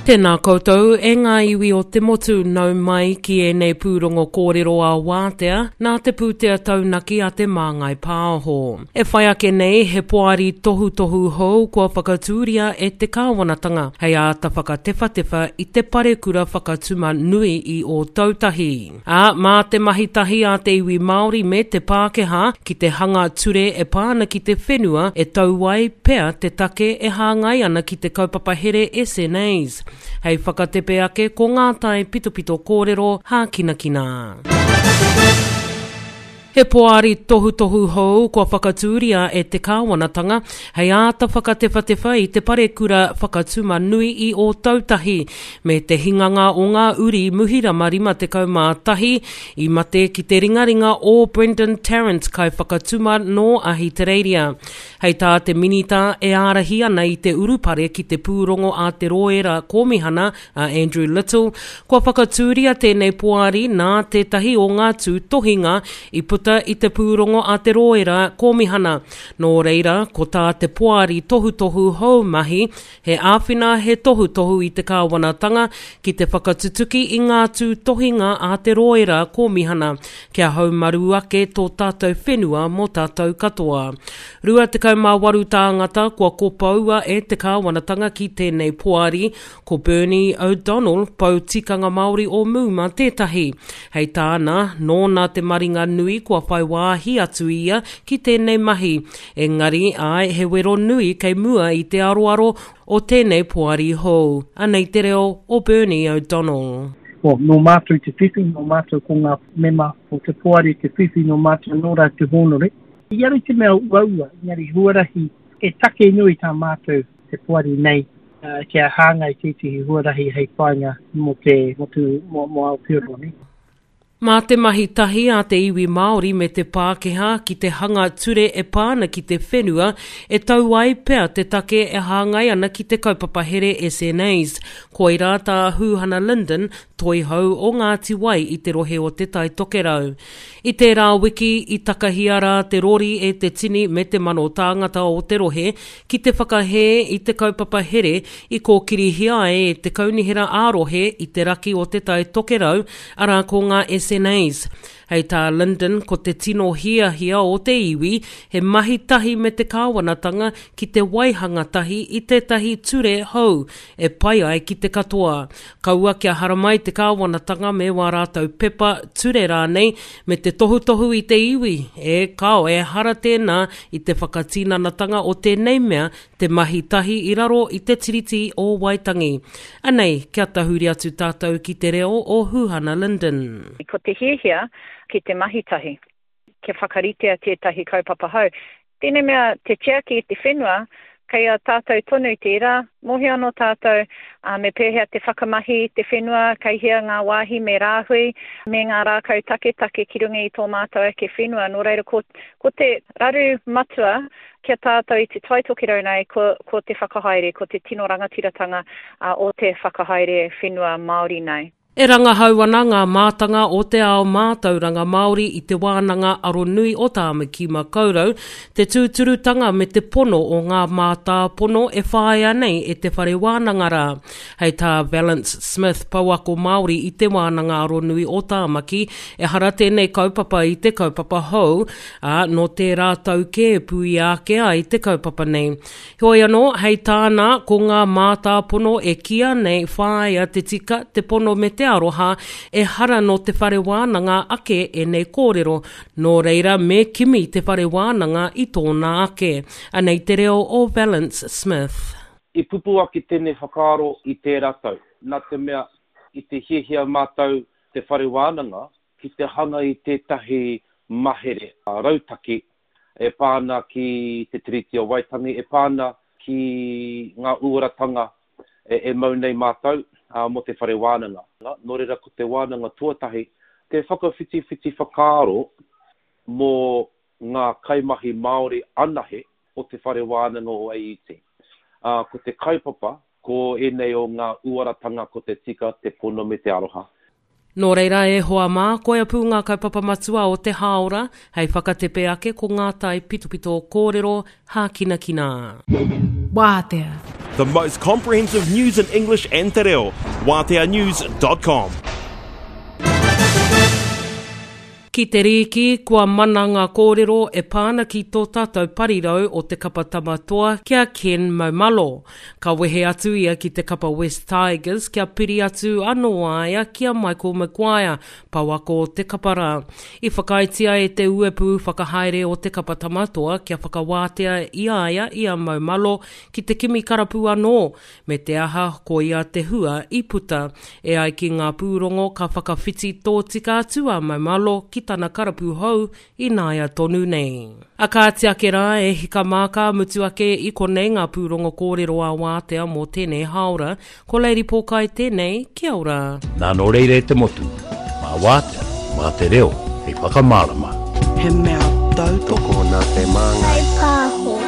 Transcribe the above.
Tēnā koutou e ngā iwi o te motu, nau mai ki ēnei pūrongo kōrero ā-wātea nā te pūtea taunaki a Te Māngai Pāho. E whai ake nei he poari tohutohu hou kua whakatūria e te kāwanatanga hei āta whakatewhatewha i te parekura whakatuma nui i Ōtautahi. Ā, mā te mahi tahi a te iwi Māori me te Pākehā ki te hanga ture e pā ana ki te whenua e tau ai pea te take e hāngai ana ki te kaupapa here SNAs. Hei whakatepe ake ko ngā tae pitopito kōrero hākinakina. He poari tohutohu hou kua whakatūria e te kāwanatanga hei āta whakatewhatewha i te parekura whakatuma nui i Ōtautahi me te hinganga o ngā uri Muhirama 51 i mate ki te ringaringa o Brendan Tarrant kaiwhakatuma nō Ahitereiria. Hei tā te Minita e ārahi ana i te urupare ki te pūrongo a te Roera Kōmihana a Andrew Little, kua whakatūria tēnei poari nā tētahi o ngā tūtohinga i puta i te pūrongo a te Roera Kōmihana. Nō reira, ko tā te poari tohutohu hou mahi, he āwhina, he tohutohu i te kāwanatanga ki te whakatutuki i ngā tūtohinga a te Roera Kōmihana kia haumaru ake tō tātou whenua mō tātou katoa. 28 tāngata kua kopoua e te kāwanatanga ki tēnei poari, Ko Bernie O'Donnell, pou tikanga Māori o Muma tētahi. Hei tāna, nōna te maringa nui kua whai wāhi atu ia ki tēnei mahi. Engari, āe, he wero nui kei mua i te aroaro o tēnei poari hou. Anei te reo o Bernie O'Donnell. Well, nō mātou te whiwhi, nō mātou ko ngā mema o te poari te whiwhi, nō mātou anō rā te hōnore. Engari te mea uaua, engari huarahi e take nui tā mātou te poari nei kia hāngai tētehi huarahi hei whāinga mō te, mō te, mō, mō Aotearoa nei. Mā te mahi tahi a te iwi Māori me te Pākehā ki te hanga ture e pā ana ki te whenua e tau ai pea te take e hāngai ana ki te kaupapa here SNAs. Koirā tā Huhana Lyndon, toihau o Ngāti Wai i te rohe o Te Tai Tokerau. I tērā wiki, i takahia rā te rori e te tini me te mano tāngata o te rohe ki te whakahē i te kaupapa here i kōkirihia ai e te Kaunihera ā-Rohe i te raki o Te Tai Tokerau, arā ko ngā SNAs. Hei tā Lyndon ko te tino hiahia o te iwi he mahi tahi me te kāwanatanga ki te waihanga tahi i tētahi ture hou e pai ai ki te katoa. Kaua kia haramai te kāwanatanga me wā rātou pepa, ture rānei, me te tohutohu i te iwi, e kāo, ehara tēnā i te whakatinanatanga o tēnei mea te mahi tahi i raro i te Tiriti o Waitangi. Anei, kia tahuri atu tātou ki te reo o Huhana Lyndon. Ko te hiahia ki te mahi tahi. kia whakaritea tētahi kaupapa hou. Tēnei mea te tiaki i te whenua, kei a tātou tonu tērā, mōhio anō tātou me pēhea te whakamahi i te whenua, kei hea ngā wāhi me rāhui, me ngā rākau taketake ki runga i tō mātou ake whenua. Nō reira, ko, ko te raru matua ki a tātou i Te Tai Tokerau nei, ko, ko te whakahaere, ko te tino rangatiratanga o te whakahaere whenua Māori nei. E rangahau ana ngā mātanga o te ao mātauranga Māori i Te Wānanga Aronui o Tāmaki-makau-rau, te tūturutanga me te pono o ngā mātāpono e whāia nei e te whare wānanga rā. Hei tā Valance Smith, pouako Māori i Te Wānanga Aronui o Tāmaki, ehara tēnei kaupapa i te kaupapa hou, ā, nō tērā tau kē puia ake ai te kaupapa nei. Heoi anō, hei tāna, ko ngā mātāpono e kīia nei whāia te tika, te pono me te aroha, ehara nō te whare wānanga ake ēnei kōrero, nō reira me kimi te whare wānanga i tōna ake. Anei te reo o Valance Smith. I pupū ake tēnei whakaaro i tērā tau, nā te mea i te hiahia mātou te whare wānanga ki te hanga i tētahi mahere rautaki e pā ana ki Te Tiriti o Waitangi, e pā ana ki ngā uaratanga e mau nei mātou mō te whare wānanga. Nō reira ko te wānanga tuatahi, te whakawhitiwhiti whakaaro mō ngā kaimahi Māori anahe o te whare wānanga o AUT. Ko te kaupapa, ko ēnei o ngā uaratanga ko te tika, te pono me te aroha. Nō reira e hoa mā, koia pū ngā kaupapa matua o te hāora, hei whakatepe ake ko ngā tae pitopito kōrero hākinakina. Wātea. The most comprehensive news in English and te reo. WāteaNews.com. Ki te rīki, kua mana ngā kōrero e pā ana ki tō tātou parirau o te kapa Tama Toa ki a Ken Maumalo. Ka wehe atu ia ki te kapa West Tigers kia piri atu anō a ia ki a Michael Maguire, pouako o te kapa rā. I whakaaetia e te uepū whakahaere o te kapa Tama Toa kia whakawātea i a ia i a Maumalo ki te kimi karapu anō, me te aha koia te hua i puta. E ai ki ngā pūrongo ka whakawhiti tōtika atu a Maumalo ki tana karapu hou ināia tonu nei. A kāti ake rā e hika mā ka mutu ake i konei ngā pūrongo kōrero ā-wātea mō tēnei hāora. Ko Lady Pōkai tēnei, kia ora. Nā nō reira e te motu, mā wātea, mā te reo hei whakamārama. He mea tautoko. Tokona te māngai. Whaipāho.